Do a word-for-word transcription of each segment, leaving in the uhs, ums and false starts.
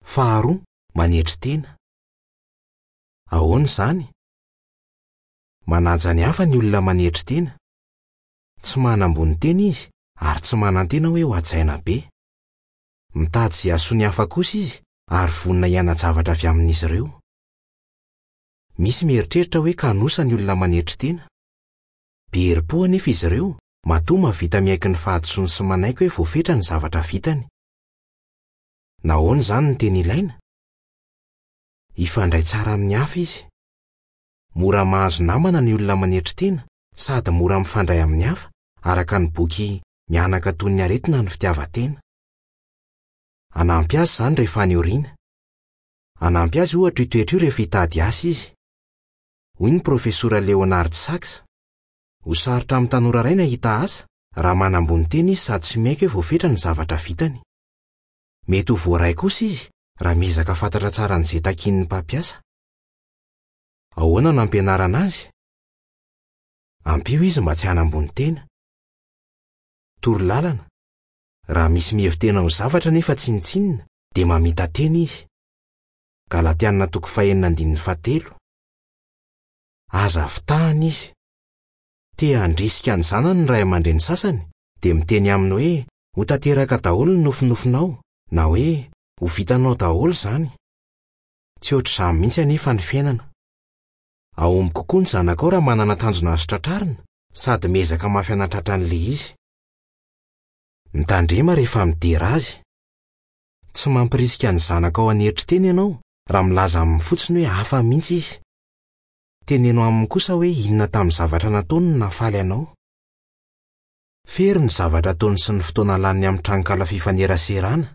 Faharoa, manetry tena. Ahoana izany? Manaja ny hafa ny olona manetry tena. Tsy manambony tena izy ary tsy manantena hoe ho hajaina be. Mitady izay hahasoa ny hafa kosa izy ary vonona hiana-javatra avy amin'izy ireo. Misy mieritreritra hoe kanosa ny olona manetry tena. Be herim-po anefa izy ireo, matoa mahavita miaiky ny fahadisoany sy manaiky hoe voafetra ny zavatra vitany. Nahoana izany no tena ilaina? Hifandray tsara amin'ny hafa izy. Mora mahazo namana ny olona manetry tena sady mora mifandray amin'ny hafa, araka ny boky Mihanaka toy ny aretina ny fitiavan-tena. Hanampy azy izany rehefa any aoriana. Hanampy azy ohatra io toetra io rehefa hitady asa izy. Hoy ny profesora Leonard Sax: Ho sarotra amin'ny tanora iray ny hahita asa raha manambony tena izy sady tsy miaiky hoe voafetra ny zavatra vitany. Mety ho voaray kosa izy raha miezaka fantatra tsara an'izay takian'ny mpampiasa. Ahoana no ampianarana azy? Ampio izy mba tsy hanambony tena. Toro lalana: Raha misy mihevi-tena ho zavatra nefa tsinontsinona dia mamita-tena izy. Galatiana toko fahenina andininy fahatelo. Aza fitahana izy. Te handrisika ny zanany ny ray aman-dreny sasany dia miteny aminy hoe ho tanteraka daholo ny nofinofinao na hoe ho vitanao daholo izany. Tsy ohatr'izany mihitsy anefa ny fiainana. Hahomby kokoa ny zanakao raha manana tanjona azo tratrarina sady miezaka mafy hanatratra an'ilay izy. Mitandrema rehefa midera azy. Tsy mampirisika ny zanakao hanetry tena ianao raha milaza aminy fotsiny hoe hafa mihitsy izy. Teneno aminy kosa hoe inona tamin'ny zavatra nataony no nahafaly anao. Fery ny zavatra ataony sy ny fotoana laniny amin'ny tranonkala fifaneraserana.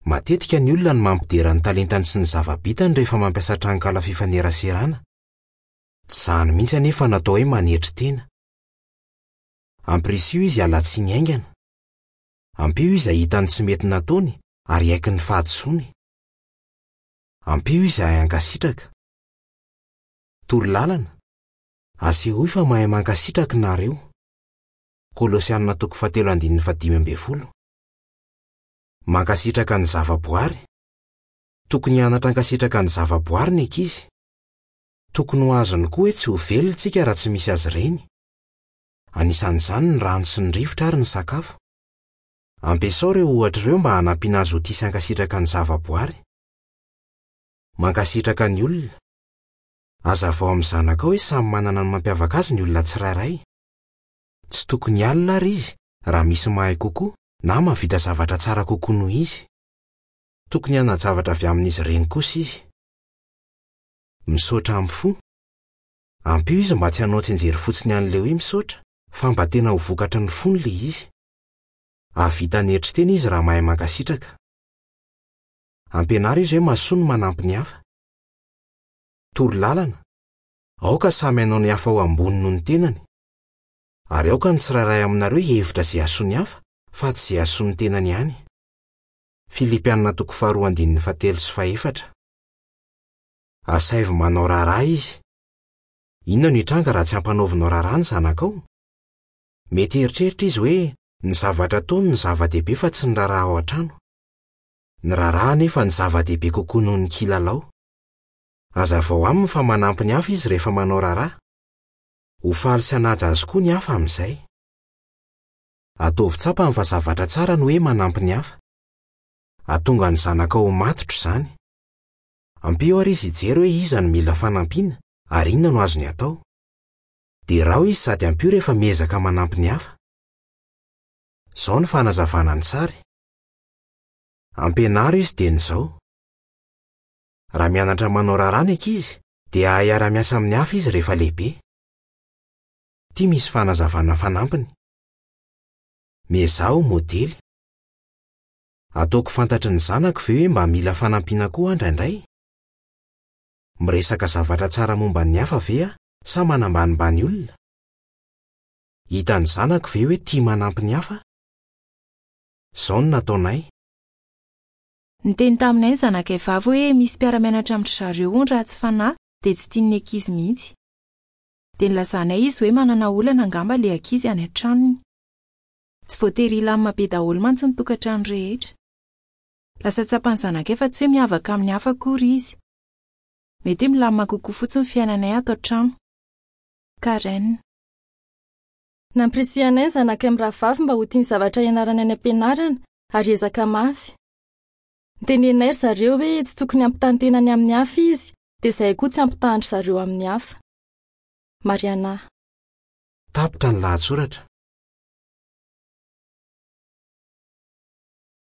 Matetika ny olona no mampidera ny talentany sy ny zava-bitany rehefa mampiasa tranonkala fifaneraserana. Tsy izany mihitsy anefa no atao hoe manetry tena. Ampirisiho izy hiala tsiny haingana. Ampio izy hahita ny tsy mety nataony ary hiaiky ny fahadisoany. Ampio izy hahay hankasitraka. Toro lalana: Asehoy fa mahay mankasitraka nareo. Kolosiana toko fahatelo andininy fahadimy ambin'ny folo. Mankasitraka ny zavaboary. Tokony hianatra hankasitraka ny zavaboary ny ankizy. Tokony ho azony koa hoe tsy ho velona isika raha tsy misy azy ireny. Anisan'izany ny rano sy ny rivotra ary ny sakafo. Ampiasao ireo ohatra ireo mba hanampiana azy ho tia sy hankasitraka ny zavaboary. Mankasitraka ny olona. Hazavao amin'ny zanakao hoe samy manana ny mampiavaka azy ny olona tsirairay. Tsy tokony hialona ary izy raha misy mahay kokoa na mahavita zavatra tsara kokoa noho izy. Tokony hiana-javatra avy amin'izy ireny kosa izy. Misaotra amin'ny fo. Ampio izy mba tsy hanao tsianjery fotsiny an'ilay hoe misaotra, fa mba tena ho vokatry ny fony ilay izy. Hahavita hanetry tena izy raha mahay mankasitraka. Ampianaro izy hoe mahasoa ny manampy ny hafa. Toro lalana: Aoka samy hanao ny hafa ho ambony noho ny tenany. Ary aoka ny tsirairay aminareo hihevitra izay hahasoa ny hafa fa tsy izay hahasoa ny tenany ihany. Filipiana toko faharoa andininy fahatelo sy fahefatra. Asaivo manao raharaha izy. Inona no hitranga raha tsy ampanaovinao raharaha ny zanakao? Mety hieritreritra izy hoe ny zavatra ataony no zava-dehibe fa tsy ny raharaha ao an-trano. Ny raharaha anefa no zava-dehibe kokoa noho ny kilalao. Hazavao aminy fa manampy ny hafa izy rehefa manao raharaha. Ho faly sy hanaja azy koa ny hafa amin'izay. Ataovy tsapany fa zavatra tsara ny hoe manampy ny hafa. Hahatonga ny zanakao ho matotra izany. Ampio ary izy hijery hoe iza no mila fanampiana ary inona no azony atao. Derao izy sady ampio rehefa miezaka manampy ny hafa. Izao ny fanazavana ny sary. Ampianaro izy dieny izao. Raha mianatra manao raharaha ny ankizy dia hahay hiara-miasa amin'ny hafa izy rehefa lehibe. Ity misy fanazavana fanampiny. Miezaha ho modely. Ataoko fantatry ny zanako ve hoe mba mila fanampiana koa aho indraindray? Miresaka zavatra tsara momba ny hafa ve aho sa manambanimbany olona? Hitan'ny zanako ve hoe tia manampy ny hafa? Izao no nataonay. Niteny taminay ny zanakay vavy hoe misy mpiara-mianatra amin-dry zareo hono ratsy fanahy dia tsy tian'ny ankizy mihitsy. Dia nilazanay izy hoe manana olana angamba ilay ankizy any an-tranony. Tsy voatery hilamina be daholo mantsy ny tokantrano rehetra. Lasa tsapan'ny zanakay fa tsy hoe miavaka amin'ny hafa akory izy. Mety hoe milamina kokoa fotsiny ny fiainanay ato an-trano. Karen. Nampirisihanay ny zanakay mirahavavy mba ho tia ny zavatra ianarany any am-pianarana ary hiezaka mafy. Niteneninay ry zareo hoe tsy tokony hampitaha ny tenany amin'ny hafa izy, dia izahay koa tsy hampitaha an-dry zareo amin'ny hafa. Mariana. Tapitra ny lahatsoratra.